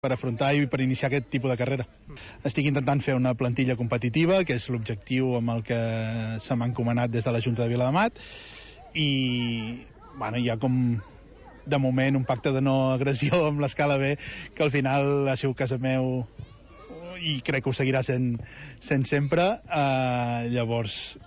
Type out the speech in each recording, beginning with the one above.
per afrontar i per iniciar aquest tipus de carrera. Estic intentant fer una plantilla competitiva, que és l'objectiu amb el que se m'ha encomanat des de la Junta de Viladamat, i bueno, hi ha com de moment un pacte de no agressió amb l'escala B, que al final ha sigut casa meu i crec que ho seguirà sent sempre. Llavors,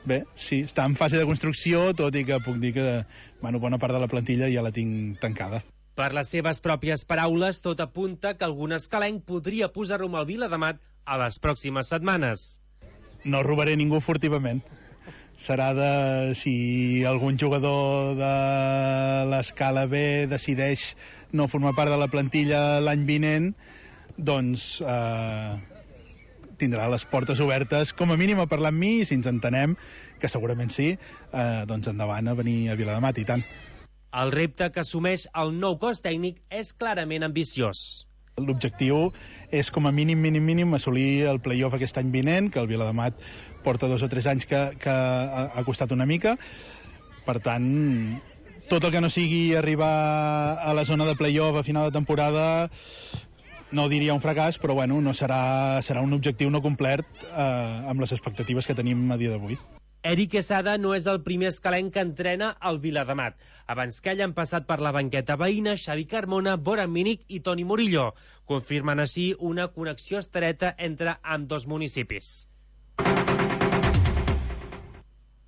bé, sí, està en fase de construcció, tot i que puc dir que bona part de la plantilla ja la tinc tancada. Per les seves pròpies paraules, tot apunta que algun escalenc podria posar rumb al Viladamat a les pròximes setmanes. No robaré ningú furtivament. Serà si algun jugador de l'escala B decideix no formar part de la plantilla l'any vinent, doncs tindrà les portes obertes, com a mínim a parlar amb mi, i si ens entenem, que segurament sí, doncs endavant a venir a Viladamat, i tant. El repte que assumeix el nou cos tècnic és clarament ambiciós. L'objectiu és, com a mínim, assolir el play-off aquest any vinent, que el Viladamat porta 2 o 3 anys que ha costat una mica. Per tant, tot el que no sigui arribar a la zona de play-off a final de temporada, no diria un fracàs, però bueno, no serà un objectiu no complert amb les expectatives que tenim a dia d'avui. Eric Quesada no és el primer escalenc que entrena al Viladamat. Abans que ell han passat per la banqueta veïna Xavi Carmona, Bora Mínic i Toni Murillo, confirmant així una connexió estreta entre ambdós municipis.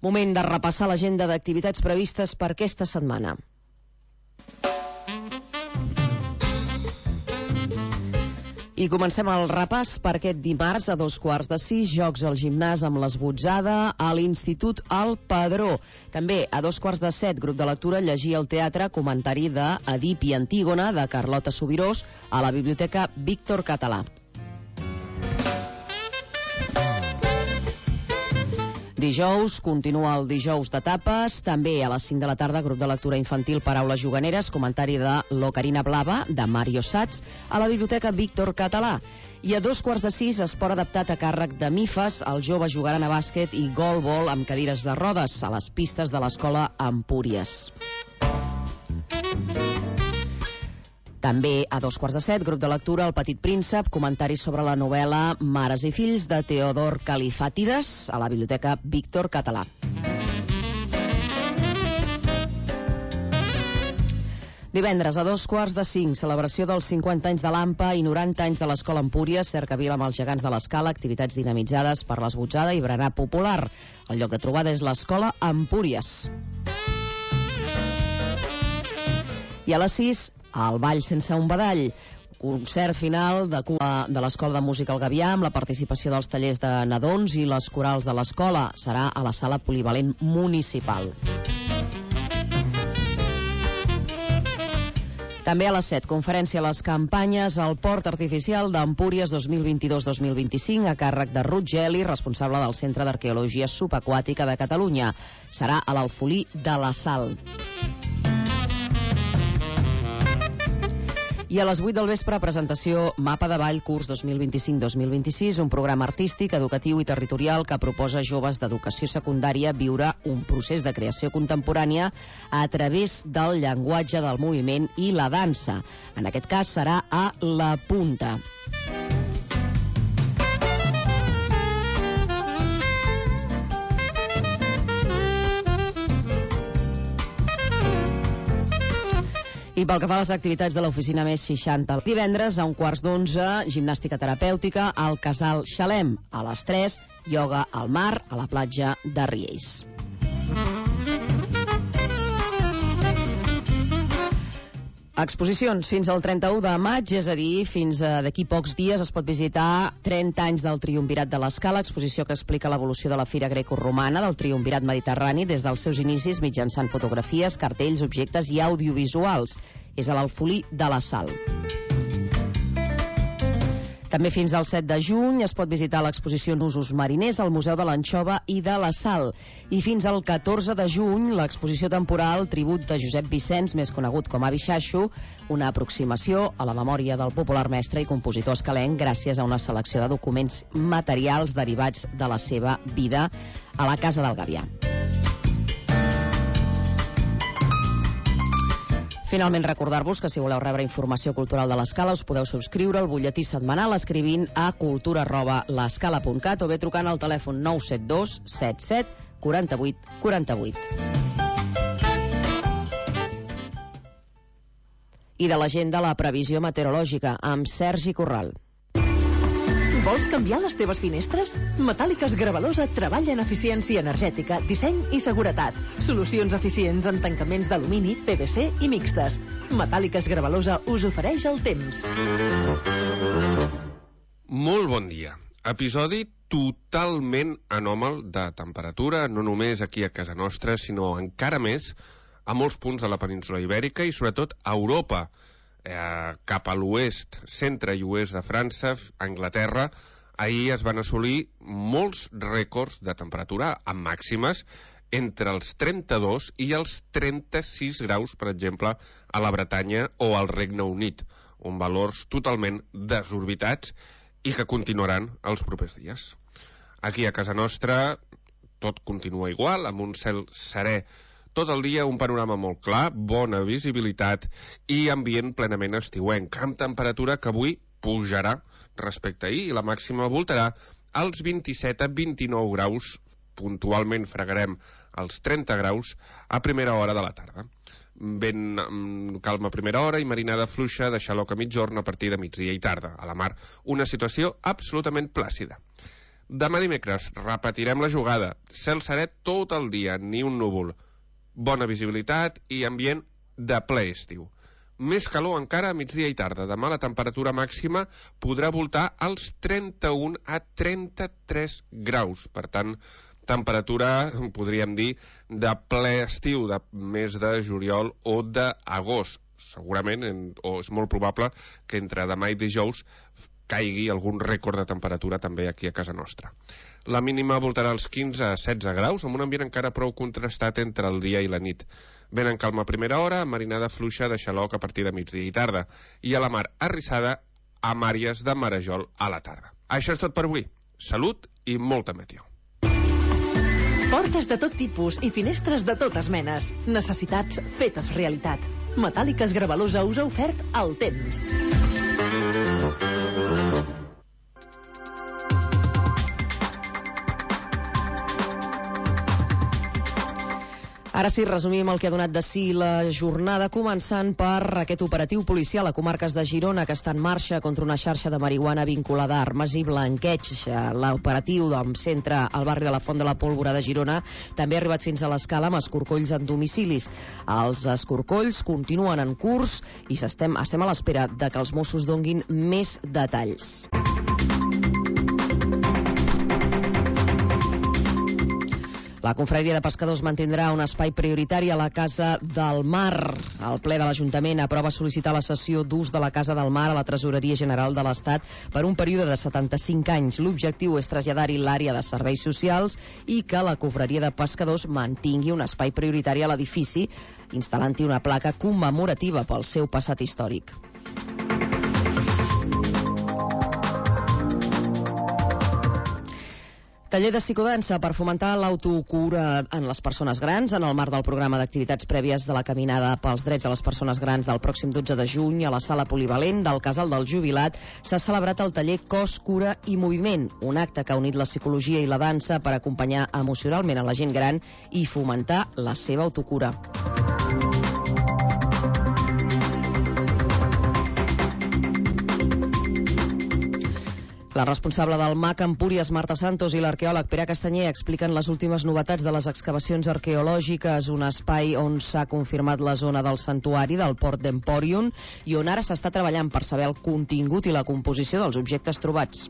Moment de repassar l'agenda d'activitats previstes per aquesta setmana. I comencem el repàs per aquest dimarts a 5:15, jocs al gimnàs amb l'esbotzada a l'Institut El Padró. També a 5:17, grup de lectura, llegir al teatre, comentari d'Edip i Antígona, de Carlota Subirós, a la Biblioteca Víctor Català. Dijous, continua el dijous de tapes, també a les 5 de la tarda, grup de lectura infantil Paraules juganeres, comentari de l'Ocarina Blava, de Mario Sats, a la Biblioteca Víctor Català. I a 5:45, esport adaptat a càrrec de MIFAS, els joves jugaran a bàsquet i golbol amb cadires de rodes a les pistes de l'escola Empúries. També a 5:15, grup de lectura El Petit Príncep, comentaris sobre la novel·la Mares i fills de Teodor Califàtides, a la Biblioteca Víctor Català. Divendres a 2:45, celebració dels 50 anys de l'AMPA i 90 anys de l'Escola Empúries, cercavila amb els gegants de l'escala, activitats dinamitzades per l'esbotzada i berenar popular. El lloc de trobada és l'Escola Empúries. I a les 6, el ball sense un badall, concert final de l'Escola de Música El Gavià amb la participació dels tallers de nadons i les corals de l'escola. Serà a la sala polivalent municipal. També a les 7, conferència a les campanyes al Port Artificial d'Empúries 2022-2025 a càrrec de Ruth Geli, responsable del Centre d'Arqueologia Subaquàtica de Catalunya. Serà a l'Alfolí de la Sal. I a les 8 del vespre, presentació Mapa de Ball Curs 2025-2026, un programa artístic, educatiu i territorial que proposa a joves d'educació secundària viure un procés de creació contemporània a través del llenguatge del moviment i la dansa. En aquest cas serà a La Punta. I pel que fa a les activitats de l'oficina més 60, divendres a 11:15, gimnàstica terapèutica al Casal Xalem. A les 3, ioga al mar a la platja de Riells. Exposicions fins al 31 de maig, és a dir, fins d'aquí pocs dies es pot visitar 30 anys del Triumvirat de l'Escala, exposició que explica l'evolució de la fira grecorromana del Triumvirat mediterrani des dels seus inicis mitjançant fotografies, cartells, objectes i audiovisuals. És a l'Alfolí de la Sal. També fins al 7 de juny es pot visitar l'exposició Nusos mariners al Museu de l'Anxova i de la Sal. I fins al 14 de juny l'exposició temporal Tribut de Josep Vicenç, més conegut com a Bixaixo, una aproximació a la memòria del popular mestre i compositor escalenc gràcies a una selecció de documents materials derivats de la seva vida a la Casa del Gavià. Finalment, recordar-vos que si voleu rebre informació cultural de l'Escala us podeu subscriure al butlletí setmanal escrivint a cultura@l'escala.cat o bé trucant al telèfon 972 77 48 48. I de l'agenda, la previsió meteorològica amb Sergi Corral. Vols canviar les teves finestres? Metàl·liques Gravalosa treballa en eficiència energètica, disseny i seguretat. Solucions eficients en tancaments d'alumini, PVC i mixtes. Metàl·liques Gravalosa us ofereix el temps. Molt bon dia. Episodi totalment anòmal de temperatura, no només aquí a casa nostra, sinó encara més a molts punts de la península Ibèrica i sobretot a Europa. Cap a l'oest, centre i oest de França, Anglaterra, ahir es van assolir molts rècords de temperatura amb màximes entre els 32 i els 36 graus, per exemple, a la Bretanya o al Regne Unit, on valors totalment desorbitats i que continuaran els propers dies. Aquí a casa nostra tot continua igual, amb un cel serè tot el dia, un panorama molt clar, bona visibilitat i ambient plenament estiuenc, amb temperatura que avui pujarà respecte a ahir i la màxima voltarà als 27 a 29 graus, puntualment fregarem els 30 graus a primera hora de la tarda. Ben calma a primera hora i marinada fluixa de xaloc a mitjorn a partir de migdia i tarda. A la mar, una situació absolutament plàcida. Demà dimecres repetirem la jugada, cel serè tot el dia, ni un núvol. Bona visibilitat i ambient de ple estiu. Més calor encara a migdia i tarda. Demà la temperatura màxima podrà voltar als 31 a 33 graus. Per tant, temperatura, podríem dir, de ple estiu, de mes de juliol o d'agost. Segurament, o és molt probable, que entre demà i dijous caigui algun rècord de temperatura també aquí a casa nostra. La mínima voltarà als 15 a 16 graus, amb un ambient encara prou contrastat entre el dia i la nit. Ben en calma a primera hora, marinada fluixa de xaloc a partir de migdia i tarda, i a la mar arrissada amb àrees de marejol a la tarda. Això és tot per avui. Salut i molta meteo. Portes de tot tipus i finestres de totes menes. Necessitats fetes realitat. Metàl·liques Gravalosa us ha ofert el temps. Ara sí, resumim el que ha donat de si la jornada, començant per aquest operatiu policial a comarques de Girona que està en marxa contra una xarxa de marihuana vinculada a armes i blanqueig. L'operatiu centra al barri de la Font de la Pólvora de Girona també ha arribat fins a l'Escala amb escorcolls en domicilis. Els escorcolls continuen en curs i estem a l'espera de que els Mossos donguin més detalls. La Confraria de Pescadors mantindrà un espai prioritari a la Casa del Mar. El ple de l'Ajuntament aprova sol·licitar la cessió d'ús de la Casa del Mar a la Tresoreria General de l'Estat per un període de 75 anys. L'objectiu és traslladar-hi l'àrea de serveis socials i que la Confraria de Pescadors mantingui un espai prioritari a l'edifici, instal·lant-hi una placa commemorativa pel seu passat històric. Taller de psicodansa per fomentar l'autocura en les persones grans en el marc del programa d'activitats prèvies de la Caminada pels Drets de les Persones Grans del pròxim 12 de juny a la sala polivalent del Casal del Jubilat s'ha celebrat el taller Cos, Cura i Moviment, un acte que ha unit la psicologia i la dansa per acompanyar emocionalment a la gent gran i fomentar la seva autocura. La responsable del MAC Empúries, Marta Santos, i l'arqueòleg Pere Castanyer expliquen les últimes novetats de les excavacions arqueològiques, un espai on s'ha confirmat la zona del santuari del Port d'Empòrion i on ara s'està treballant per saber el contingut i la composició dels objectes trobats.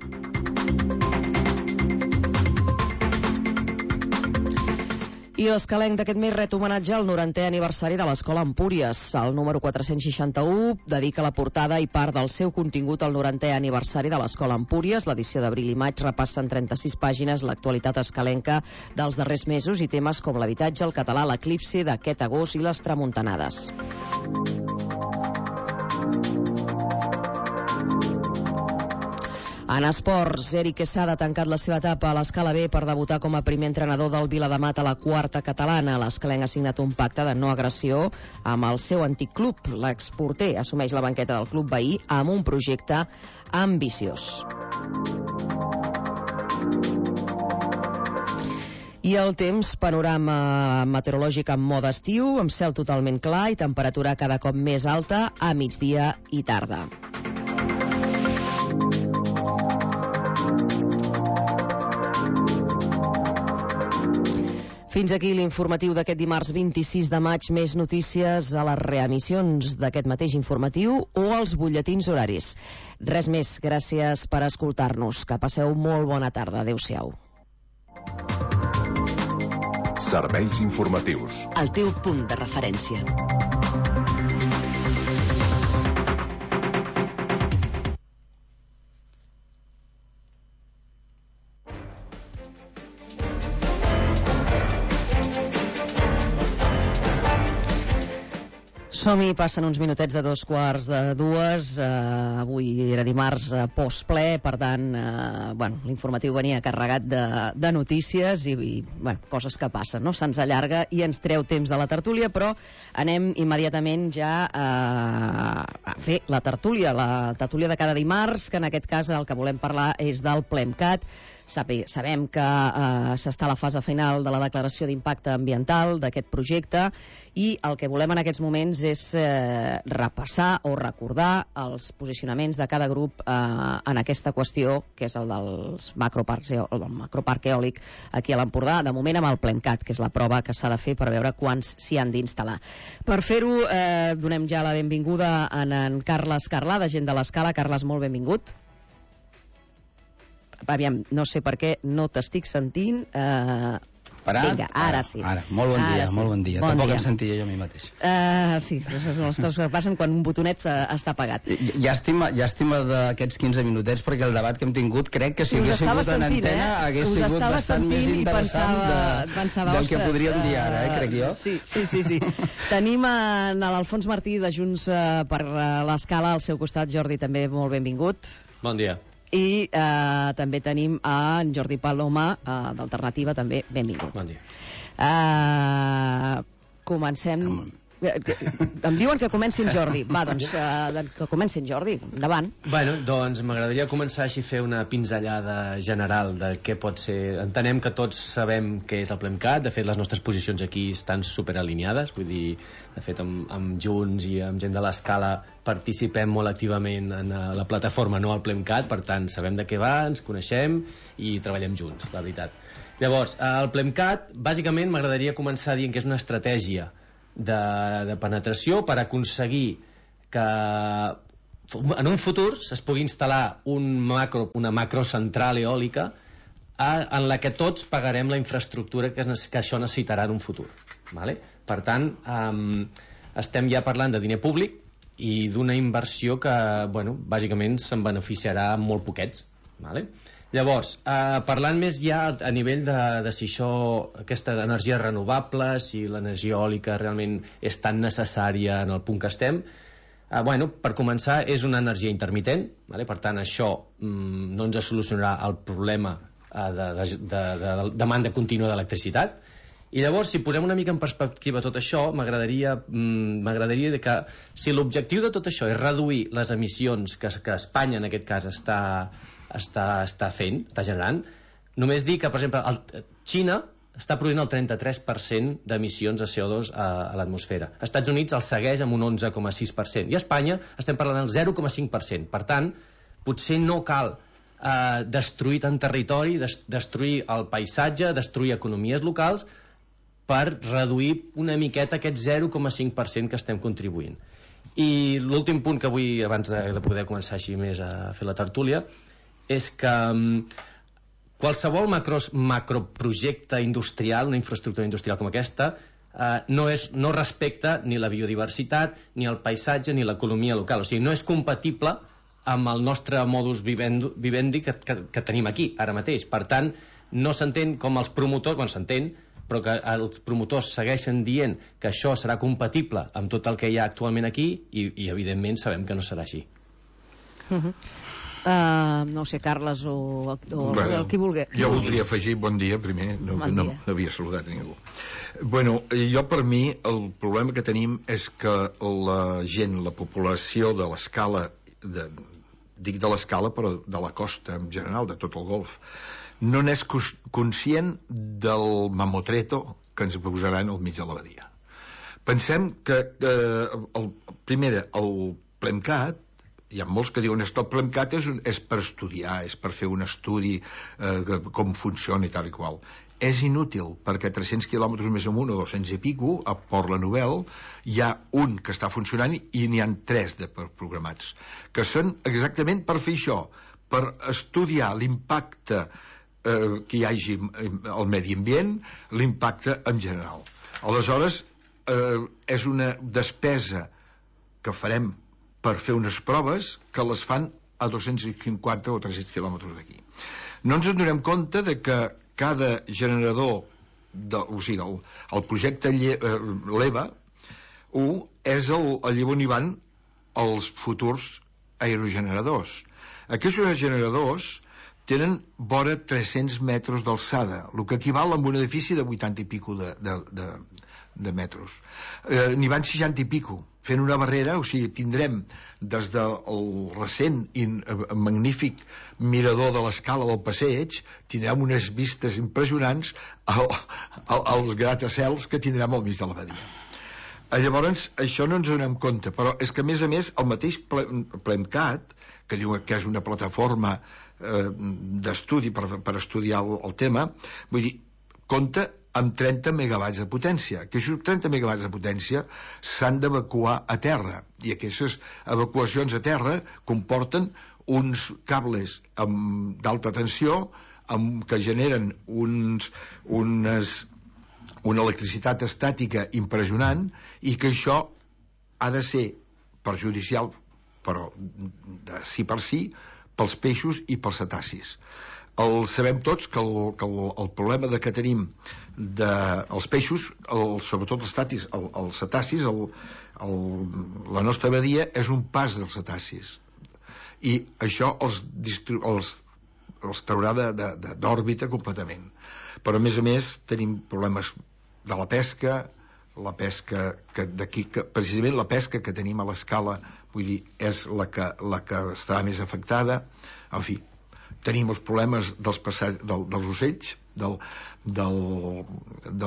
I l'Escalenc d'aquest mes ret homenatge al 90è aniversari de l'Escola Empúries. El número 461 dedica la portada i part del seu contingut al 90è aniversari de l'Escola Empúries. L'edició d'abril i maig repassa en 36 pàgines l'actualitat escalenca dels darrers mesos i temes com l'habitatge, el català, l'eclipsi d'aquest agost i les tramuntanades. En esports, Eric Quesada ha tancat la seva etapa a l'Escala B per debutar com a primer entrenador del Viladamat a la quarta catalana. L'escalenc ha signat un pacte de no agressió amb el seu antic club. L'exporter assumeix la banqueta del club veí amb un projecte ambiciós. I el temps, panorama meteorològic en mode estiu, amb cel totalment clar i temperatura cada cop més alta a migdia i tarda. Fins aquí l'informatiu d'aquest dimarts 26 de maig. Més notícies a les reemissions d'aquest mateix informatiu o als butlletins horaris. Res més, gràcies per escoltar-nos. Que passeu molt bona tarda. Adéu-siau. Serveis informatius. El teu punt de referència. Som-hi, passen uns minutets de 2:45. Avui era dimarts postple, per tant, l'informatiu venia carregat de notícies i coses que passen, no? Se'ns allarga i ens treu temps de la tertúlia, però anem immediatament ja a fer la tertúlia de cada dimarts, que en aquest cas el que volem parlar és del PLEMCAT. Sabem que s'està a la fase final de la declaració d'impacte ambiental d'aquest projecte i el que volem en aquests moments és repassar o recordar els posicionaments de cada grup en aquesta qüestió, que és el del macroparc eòlic aquí a l'Empordà, de moment amb el PLEMCAT, que és la prova que s'ha de fer per veure quants s'hi han d'instal·lar. Per fer-ho, donem ja la benvinguda a en Carles Carlà, de Gent de l'Escala. Carles, molt benvingut. Aviam, no sé per què no t'estic sentint. Vinga, ara sí. Ara. Molt bon dia, molt bon dia. Tampoc em sentia jo a mi mateix. Sí, són les coses que passen quan un botonet està apagat. Llàstima d'aquests 15 minutets, perquè el debat que hem tingut crec que si hagués sigut en antena hagués sigut bastant més interessant del que podríem dir ara, crec jo. Sí. Tenim en l'Alfons Martí de Junts per l'Escala al seu costat. Jordi, també molt benvingut. Bon dia. I també tenim en Jordi Paloma d'Alternativa, també benvingut. Bon dia. Comencem. Em diuen que comenci en Jordi. Va, doncs que comenci en Jordi. Endavant. Doncs m'agradaria començar així a fer una pinzellada general de què pot ser. Entenem que tots sabem què és el PLEMCAT. De fet, les nostres posicions aquí estan superalineades. Vull dir, de fet, amb Junts i amb Gent de l'Escala participem molt activament en la plataforma No al PLEMCAT. Per tant, sabem de què va, ens coneixem i treballem junts, la veritat. Llavors, el PLEMCAT, bàsicament, m'agradaria començar dient que és una estratègia de penetració per aconseguir que en un futur es pugui instal·lar una macrocentral eòlica en la que tots pagarem la infraestructura que això necessitarà en un futur. Vale? Per tant, estem ja parlant de diner públic i d'una inversió que, bàsicament se'n beneficiarà molt poquets. Vale? Llavors, parlant més ja a nivell de si aquesta energia renovable, si l'energia eòlica realment és tan necessària en el punt que estem, per començar, és una energia intermitent, per tant, això no ens solucionarà el problema de demanda contínua d'electricitat. I llavors, si posem una mica en perspectiva tot això, m'agradaria que si l'objectiu de tot això és reduir les emissions que Espanya, en aquest cas, està generant, només dir que, per exemple, Xina està produint el 33% d'emissions de CO2 a l'atmosfera. Els Estats Units el segueix amb un 11,6%. I a Espanya estem parlant del 0,5%. Per tant, potser no cal destruir tant territori, destruir el paisatge, destruir economies locals per reduir una miqueta aquest 0,5% que estem contribuint. I l'últim punt que vull, abans de poder començar així més a fer la tertúlia, és que qualsevol macroprojecte industrial, una infraestructura industrial com aquesta, no respecta ni la biodiversitat, ni el paisatge, ni l'economia local. O sigui, no és compatible amb el nostre modus vivendi que tenim aquí, ara mateix. Per tant, no s'entén com els promotors, s'entén, però que els promotors segueixen dient que això serà compatible amb tot el que hi ha actualment aquí i evidentment sabem que no serà així. No sé, Carles o qui vulgui. Jo voldria afegir, bon dia, primer, no havia saludat a ningú. Bueno, jo per mi el problema que tenim és que la gent, la població de l'escala, dic de l'escala però de la costa en general, de tot el golf, no n'és conscient del mamotreto que ens posaran al mig de la badia. Pensem que primer, el PLEMCAT, hi ha molts que diuen que el PLEMCAT és per estudiar, és per fer un estudi com funciona i tal i qual. És inútil, perquè 300 quilòmetres més amunt o 200 i pico, a Port La Nouvelle, hi ha un que està funcionant i n'hi ha 3 programats, que són exactament per fer això, per estudiar l'impacte que hi hagi al medi ambient, l'impacte en general. Aleshores, és una despesa que farem per fer unes proves que les fan a 250 o 300 quilòmetres d'aquí. No ens donem compte de que cada generador, o sigui, el projecte l'EVA 1 és allà on hi van els futurs aerogeneradors. Aquests generadors tenen vora 300 metres d'alçada, el que equival a un edifici de 80 i pico de metres. N'hi van 60 i pico, fent una barrera, o sigui, tindrem des del recent i magnífic mirador de l'escala del passeig, tindrem unes vistes impressionants als gratacels que tindrem al mig de la badia. Llavors, això no ens donem compte, però és que a més el mateix PLEMCAT, que diu que és una plataforma d'estudi per estudiar el tema, vull dir, compta amb 30 megawatts de potència, que aquests 30 megawatts de potència s'han d'evacuar a terra, i aquestes evacuacions a terra comporten uns cables d'alta tensió que generen una electricitat estàtica impressionant, i que això ha de ser perjudicial, però de sí per sí, pels peixos i pels cetacis. Sabem tots que el problema que tenim dels peixos, sobretot els cetacis, la nostra badia és un pas dels cetacis, i això els traurà d'òrbita completament. Però a més tenim problemes de la pesca precisament la pesca que tenim a l'escala, vull dir, és la que està més afectada. En fi, tenim els problemes dels ocells, de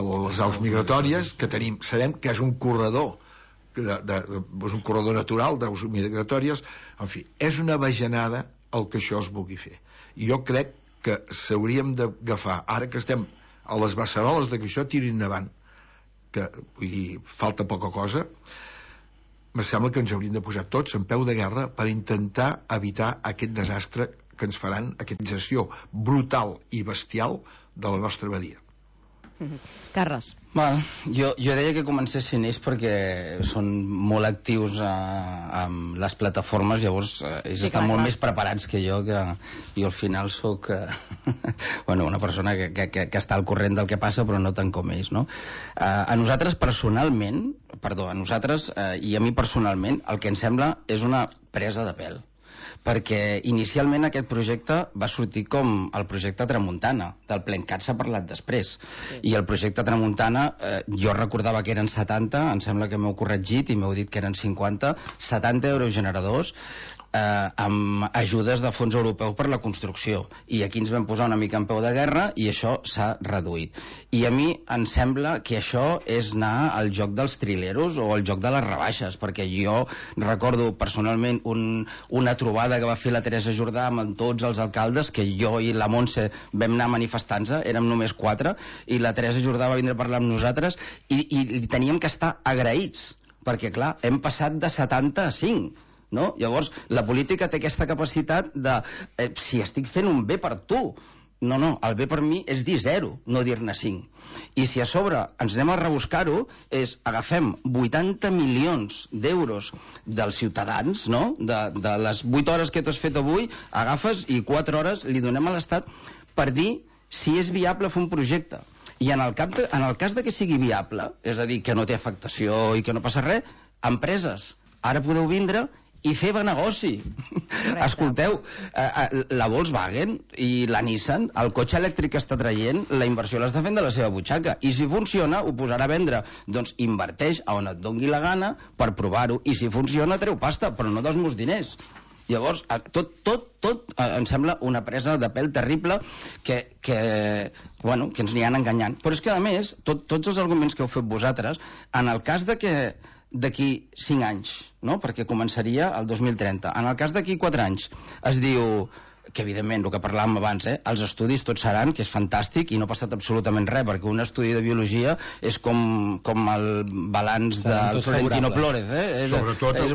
les aus migratòries, que sabem que és un corredor natural d'aus migratòries. En fi, és una bajanada el que això es vulgui fer. I jo crec que s'hauríem d'agafar, ara que estem a les beceroles de que això tiri endavant, que, vull dir, falta poca cosa, me sembla que ens hauríem de posar tots en peu de guerra per intentar evitar aquest desastre que ens faran, aquesta gestió brutal i bestial de la nostra badia. Carles. Bueno, jo deia que comencessin ells perquè són molt actius amb les plataformes, llavors ells estan molt més preparats que jo al final soc una persona que està al corrent del que passa, però no tant com ells, no? A nosaltres i a mi personalment el que em sembla és una presa de pèl, perquè inicialment aquest projecte va sortir com el projecte Tramuntana. Del PLEMCAT s'ha parlat després, i el projecte Tramuntana jo recordava que eren 70, em sembla que m'heu corregit i m'heu dit que eren 70 aerogeneradors amb ajudes de fons europeu per la construcció, i aquí ens vam posar una mica en peu de guerra i això s'ha reduït. I a mi em sembla que això és anar al joc dels trileros o al joc de les rebaixes, perquè jo recordo personalment una trobada que va fer la Teresa Jordà amb tots els alcaldes, que jo i la Montse vam anar manifestant-se, érem només 4, i la Teresa Jordà va vindre a parlar amb nosaltres i teníem que estar agraïts, perquè clar, hem passat de 70 a 5, no? Llavors la política té aquesta capacitat de si estic fent un bé per tu, no, el bé per mi és dir 0, no dir-ne 5. I si a sobre ens anem a rebuscar-ho, és agafem 80 milions d'euros dels ciutadans, no? De les 8 hores que tu has fet avui, agafes i 4 hores li donem a l'Estat per dir si és viable fer un projecte. I en el cas de que sigui viable, és a dir, que no té afectació i que no passa res, empreses, ara podeu vindre i fer negoci. Escolteu, la Volkswagen i la Nissan, el cotxe elèctric que està traient, la inversió l'està fent de la seva butxaca, i si funciona ho posarà a vendre. Doncs inverteix a on et dongui la gana per provar-ho, i si funciona treu pasta, però no dels meus diners. Llavors, tot em sembla una presa de pèl terrible que ens n'hi han enganyant. Però és que, a més, tots els arguments que heu fet vosaltres, en el cas de que d'aquí 5 anys, no? Perquè començaria el 2030. En el cas d'aquí 4 anys es diu que, evidentment, el que parlàvem abans, els estudis tots seran, que és fantàstic, i no ha passat absolutament res, perquè un estudi de biologia és com el balanç del Florentino Flores.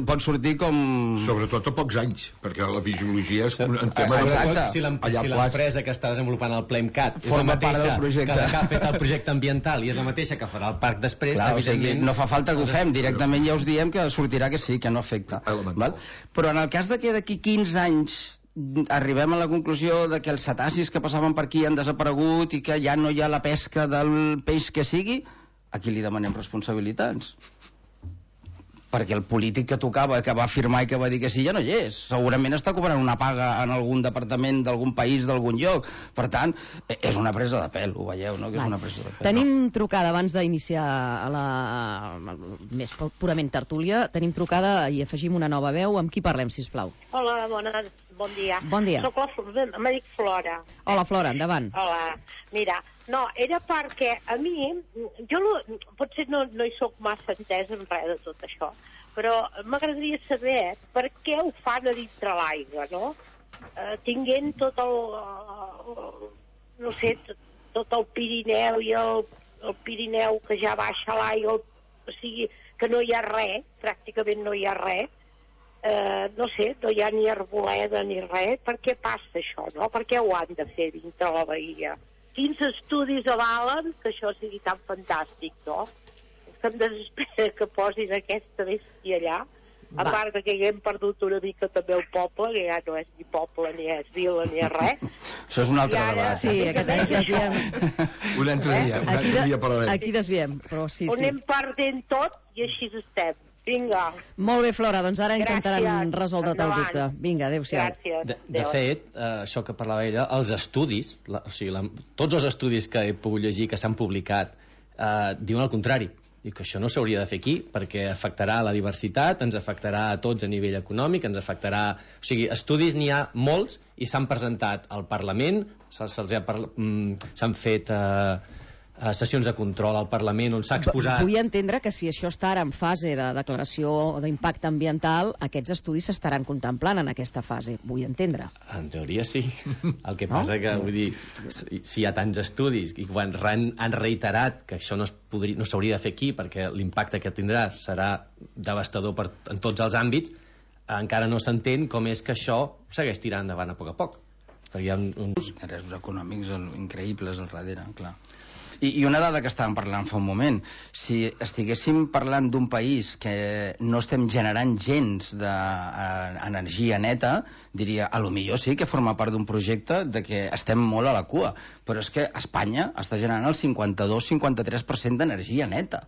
Pot sortir com... Sobretot a pocs anys, perquè la biologia és un tema... Exacte. Si l'empresa que està desenvolupant el PLEMCAT és la mateixa que ha fet el projecte ambiental i és la mateixa que farà el parc després, evidentment... No fa falta que ho fem, directament ja us diem que sortirà que sí, que no afecta. Però en el cas de que d'aquí 15 anys arribem a la conclusió de que els cetacis que passaven per aquí han desaparegut i que ja no hi ha la pesca del peix que sigui, a qui li demanem responsabilitats? Perquè el polític que tocava, que va firmar i que va dir que sí, ja no hi és. Segurament està cobrant una paga en algun departament d'algun país, d'algun lloc. Per tant, és una presa de pèl, ho veieu, no? Que és una presa de pèl. Tenim trucada, abans d'iniciar la més purament tertúlia, tenim trucada i afegim una nova veu. Amb qui parlem, sisplau? Hola, bon dia. Bon dia. Me dic Flora. Hola, Flora, endavant. Hola, mira, no, era perquè a mi, jo potser no hi soc massa entesa en res de tot això, però m'agradaria saber per què ho fan a dintre l'aigua, no? Tinguent tot no sé, tot el Pirineu i el Pirineu que ja baixa l'aigua, o sigui, que no hi ha res, pràcticament no hi ha res, no sé, no hi ha ni arboleda ni res. Per què passa això, no? Per què ho han de fer dintre la bahia? Quins estudis avalen que això sigui tan fantàstic, no? Que em desespera que posin aquesta bèstia allà, a part de que hem perdut una mica també el poble, que ja no és ni poble, ni és vila, ni és res. Això és un altre debat. Sí, aquest un altre dia parlarem. Aquí desviem, però sí. On anem perdent tot i així estem. Vinga. Molt bé, Flora, doncs ara intentaran resoldre't el dubte. Vinga, adéu-siau. De fet, això que parlava ella, els estudis, tots els estudis que he pogut llegir, que s'han publicat, diuen el contrari, i que això no s'hauria de fer aquí, perquè afectarà la diversitat, ens afectarà a tots a nivell econòmic, ens afectarà... O sigui, estudis n'hi ha molts i s'han presentat al Parlament, s'han fet... sessions de control al Parlament on s'ha exposat... Vull entendre que si això està ara en fase de declaració d'impacte ambiental, aquests estudis s'estaran contemplant en aquesta fase, vull entendre. En teoria sí. El que passa que, vull dir, si hi ha tants estudis i quan han reiterat que això no s'hauria de fer aquí perquè l'impacte que tindrà serà devastador en tots els àmbits, encara no s'entén com és que això segueix tirant endavant a poc. Perquè hi ha uns interessos econòmics increïbles al darrere, clar. I una dada que estàvem parlant fa un moment, si estiguéssim parlant d'un país que no estem generant gens d'energia neta, diria, a lo millor sí que forma part d'un projecte de que estem molt a la cua, però és que Espanya està generant el 52-53% d'energia neta.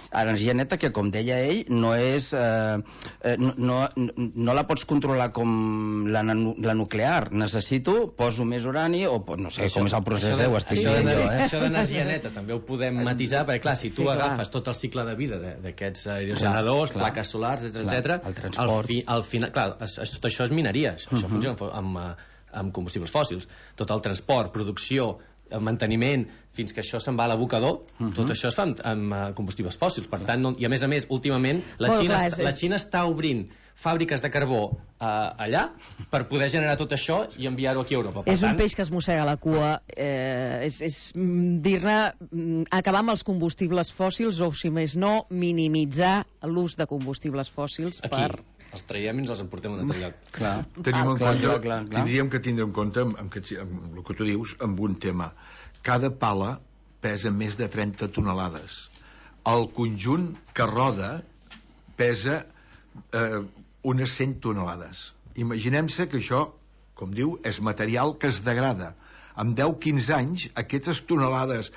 Energia neta que, com deia ell, no és... no la pots controlar com la nuclear. Necessito, poso més urani, o no sé com és el procés, ho estic dient jo. Això d'energia neta també ho podem matisar, perquè clar, si tu agafes tot el cicle de vida d'aquests aerogeneradors, plaques solars, etc., el transport, al final, clar, tot això és mineria, això funciona amb combustibles fòssils, tot el transport, producció, el manteniment, fins que això se'n va a l'abocador, tot això es fa amb combustibles fòssils. Per tant, i a més, últimament, la Xina està obrint fàbriques de carbó allà per poder generar tot això i enviar-ho aquí a Europa. És un peix que es mossega la cua. És dir-ne acabar amb els combustibles fòssils o, si més no, minimitzar l'ús de combustibles fòssils per... Els traiem i ens els emportem a un altre lloc. Tindríem que tindre en compte, amb el que tu dius, amb un tema. Cada pala pesa més de 30 tonelades. El conjunt que roda pesa unes 100 tonelades. Imaginem-se que això, com diu, és material que es degrada. En 10-15 anys, aquestes tonelades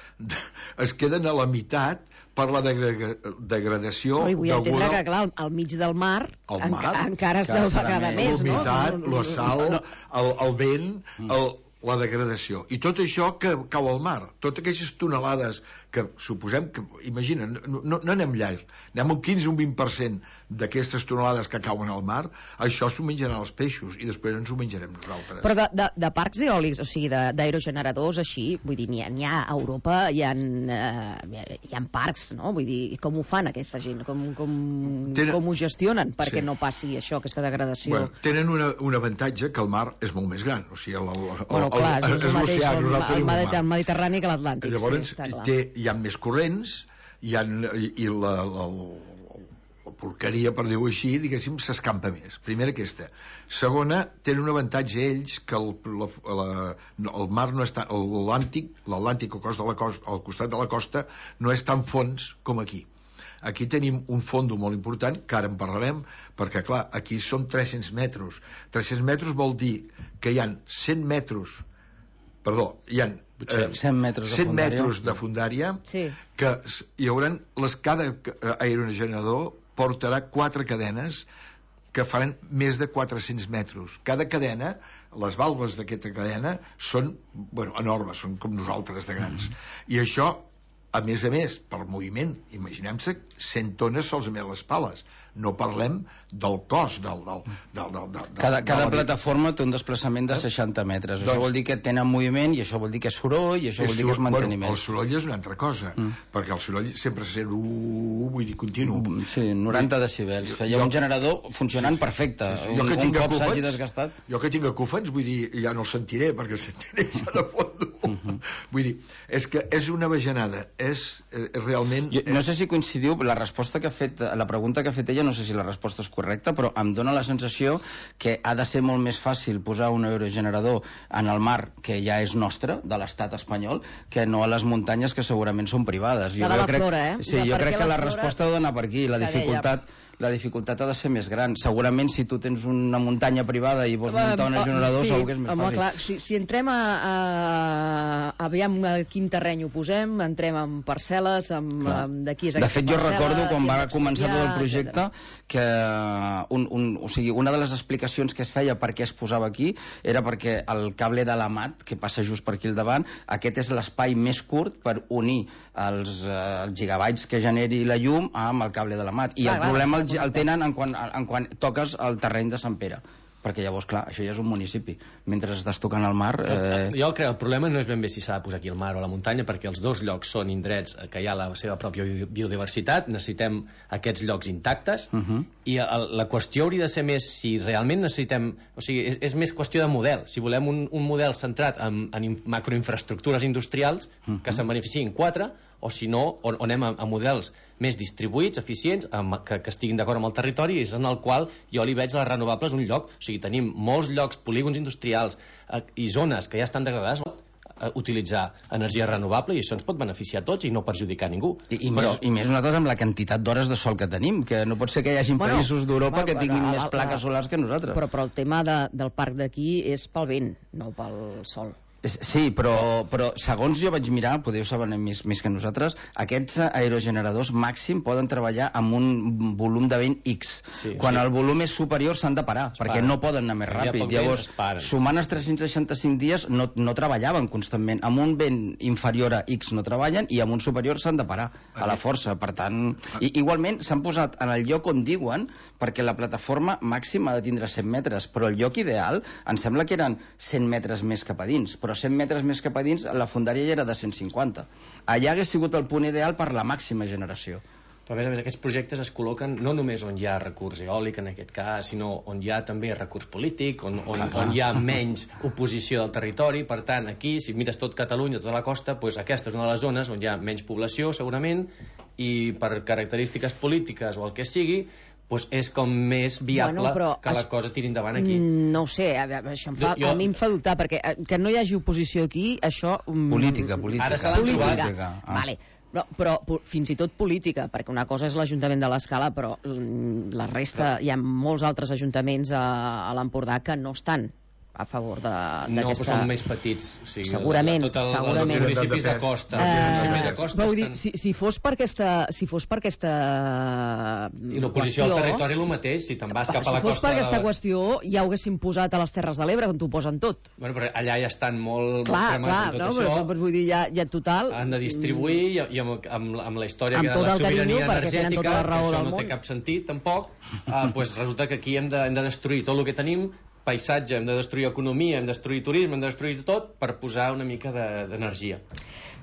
es queden a la meitat per la degradació Vull entendre que, clar, al mig del mar encara es deu vegada més, no? L'humitat, la sal, el vent, la degradació. I tot això que cau al mar, totes aquestes tonelades que suposem que, imagina, no anem llarg, anem un 15 o un 20% d'aquestes tonelades que cauen al mar, això s'ho menjaran els peixos i després ens ho menjarem nosaltres. Però de parcs eòlics, o sigui, d'aerogeneradors així, vull dir, n'hi ha a Europa, hi ha parcs, no? Vull dir, com ho fan aquesta gent? Com ho gestionen perquè no passi això, aquesta degradació? Bueno, tenen un avantatge, que el mar és molt més gran, o sigui, clar, és l'oceà, el Mediterrani que l'Atlàntic. Llavors, hi ha més corrents, i la porqueria, per dir-ho així, diguéssim, s'escampa més. Primera aquesta. Segona, tenen un avantatge ells, que el mar no és tan... L'Atlàntic al costat de la costa no és tan fons com aquí. Aquí tenim un fondo molt important, que ara en parlarem, perquè, clar, aquí són 300 metres. 300 metres vol dir que hi ha 100 metres... Perdó, hi ha 100 metres de fondària, que hi haurà... Cada aerogenerador portarà 4 cadenes que faran més de 400 metres. Cada cadena, les valves d'aquesta cadena són enormes, són com nosaltres de grans. I això, a més, per moviment, imaginem-se 100 tones solament les pales. No parlem del cos Cada plataforma té un desplaçament de 60 metres. Això vol dir que tenen moviment, i això vol dir que és soroll, i això vol dir que és manteniment. El soroll és una altra cosa, perquè el soroll sempre se sent vull dir, continu. Sí, 90 decibels. Hi ha un generador funcionant perfecte. Un cop s'hagi desgastat. Jo que tinc acúfens, vull dir, ja no el sentiré, perquè el sentiré ja de fondo. Vull dir, és que és una bajanada. És realment... No sé si coincidiu, la resposta que ha fet, la pregunta que ha fet ella, no sé si la resposta és correcta, però em dóna la sensació que ha de ser molt més fàcil posar un aerogenerador en el mar, que ja és nostre, de l'estat espanyol, que no a les muntanyes, que segurament són privades. La de la flora, eh? Sí, jo crec que la resposta ha d'anar per aquí. La dificultat ha de ser més gran. Segurament, si tu tens una muntanya privada i vols muntar un aerogenerador, segur que és més fàcil. Clar, si entrem aviam a quin terreny ho posem, entrem amb parcel·les, d'aquí és aquesta parcel·la... De fet, jo recordo, quan va començar tot el projecte, que una de les explicacions que es feia per què es posava aquí era perquè el cable de l'AMAT, que passa just per aquí al davant, aquest és l'espai més curt per unir els gigabytes que generi la llum amb el cable de l'AMAT. I el problema el tenen en quan toques el terreny de Sant Pere, perquè llavors, clar, això ja és un municipi. Mentre estàs tocant el mar... Jo crec que el problema no és ben bé si s'ha de posar aquí al mar o a la muntanya, perquè els dos llocs són indrets que hi ha la seva pròpia biodiversitat, necessitem aquests llocs intactes, i la qüestió hauria de ser més si realment necessitem... O sigui, és més qüestió de model. Si volem un model centrat en macroinfraestructures industrials que se'n beneficiïn 4, o si no, on anem a models més distribuïts, eficients, que estiguin d'acord amb el territori, és en el qual jo li veig les renovables un lloc. O sigui, tenim molts llocs, polígons industrials i zones que ja estan degradades, utilitzar energia renovable, i això ens pot beneficiar a tots i no perjudicar a ningú. I més nosaltres amb la quantitat d'hores de sol que tenim, que no pot ser que hi hagi països d'Europa que tinguin més plaques solars que nosaltres. Però el tema del parc d'aquí és pel vent, no pel sol. Sí, però segons jo vaig mirar, podeu saber més que nosaltres, aquests aerogeneradors màxim poden treballar amb un volum de vent X. Quan el volum és superior s'han de parar, perquè no poden anar més ràpid. Llavors, sumant els 365 dies no treballaven constantment. Amb un vent inferior a X no treballen i amb un superior s'han de parar a la força. Per tant, igualment s'han posat en el lloc on diuen, perquè la plataforma màxima ha de tindre 100 metres, però el lloc ideal em sembla que eren 100 metres més cap a dins, però 100 metres més cap a dins la fondària ja era de 150. Allà hagués sigut el punt ideal per la màxima generació. Però a més, aquests projectes es col·loquen no només on hi ha recurs eòlic, en aquest cas, sinó on hi ha també recurs polític, on hi ha menys oposició del territori. Per tant, aquí, si mires tot Catalunya, tota la costa, doncs aquesta és una de les zones on hi ha menys població, segurament, i per característiques polítiques o el que sigui, doncs és com més viable que la cosa tiri endavant aquí. No ho sé, això a mi em fa dubtar, perquè que no hi hagi oposició aquí, això... Política. Ara s'ha de trobar. Vale. Però fins i tot política, perquè una cosa és l'Ajuntament de l'Escala, però la resta, hi ha molts altres ajuntaments a l'Empordà que no estan a favor No, d'aquesta... però són més petits. O sigui, segurament. Els municipis de costa. Vull dir, si fos per aquesta... I l'oposició al territori el mateix, si te'n vas cap a la costa... Si fos per aquesta qüestió, ja ho haguésem posat a les Terres de l'Ebre, on t'ho posen tot. Bueno, però allà ja estan molt clar, cremats amb tot això. Però vull dir, ja total... Han de distribuir, i amb la història amb de la sobirania energètica, tota la raó que això del no té món. cap sentit, tampoc, pues resulta que aquí hem de destruir tot el que tenim, paisatge, hem de destruir economia, hem de destruir turisme, hem de destruir tot per posar una mica d'energia.